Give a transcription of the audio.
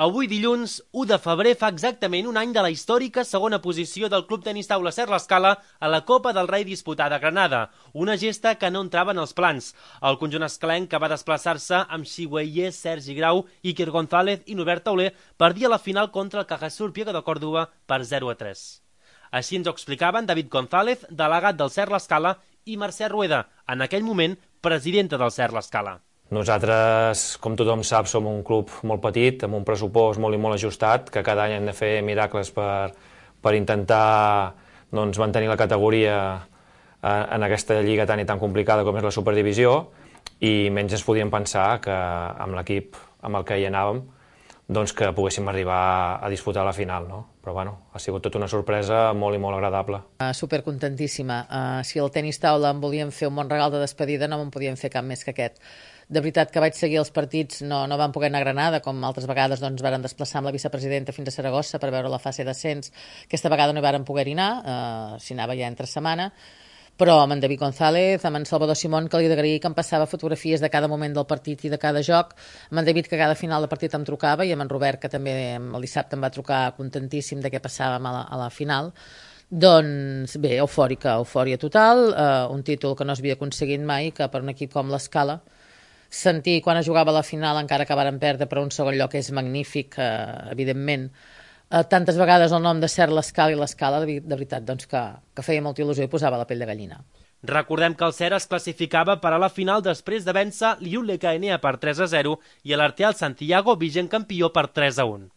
Avui dilluns, 1 de febrer, fa exactament un any de la històrica segona posició del Club Tenis Taula Ser l'Escala a la Copa del Rei disputada a Granada, una gesta que no entrava en els plans. El conjunt escalenc, que va desplaçar-se amb Xiueye, Sergi Grau, Iker González i Norbert Tauler, perdia la final contra el Cajasur Piego de Córdoba per 0-3. Així ens ho explicaven David González, delegat del Ser l'Escala, i Mercè Rueda, en aquell moment presidenta del Ser l'Escala. Nosaltres, com tothom sap, som un club molt petit, amb un pressupost molt i molt ajustat, que cada any hem de fer miracles per intentar mantenir la categoria en aquesta lliga tan i tan complicada com és la Superdivisió, i menys ens podíem pensar que amb l'equip amb el que hi anàvem que poguéssim arribar a disputar la final, no? Però bueno, ha sigut tota una sorpresa molt i molt agradable. Supercontentíssima. Si el tenis taula em volien fer un bon regal de despedida, no me'n podien fer cap més que aquest. De veritat que vaig seguir els partits, no van poder anar a Granada, com altres vegades varen desplaçar amb la vicepresidenta fins a Saragossa per veure la fase d'ascens. Aquesta vegada no hi varen poder anar, s'hi anava ja entre setmana, però amb en David González, amb en Salvador Simón, que li he d'agrair que em passava fotografies de cada moment del partit i de cada joc, amb en David, que cada final de partit em trucava, i amb en Robert, que també el dissabte em va trucar contentíssim de què passàvem a la final. Doncs bé, eufòria total, un títol que no s'havia aconseguit mai, que per un equip com l'Escala, sentir quan es jugava a la final, encara que varen perdre, per un segon lloc és magnífic, evidentment. Tantes vegades el nom de Ser l'Escala i l'Escala, de veritat, que feia molta il·lusió i posava la pell de gallina. Recordem que el Ser es classificava per a la final després de vèncer l'Iul Enea per 3-0 i l'Arteal Santiago, vigent campió, per 3-1.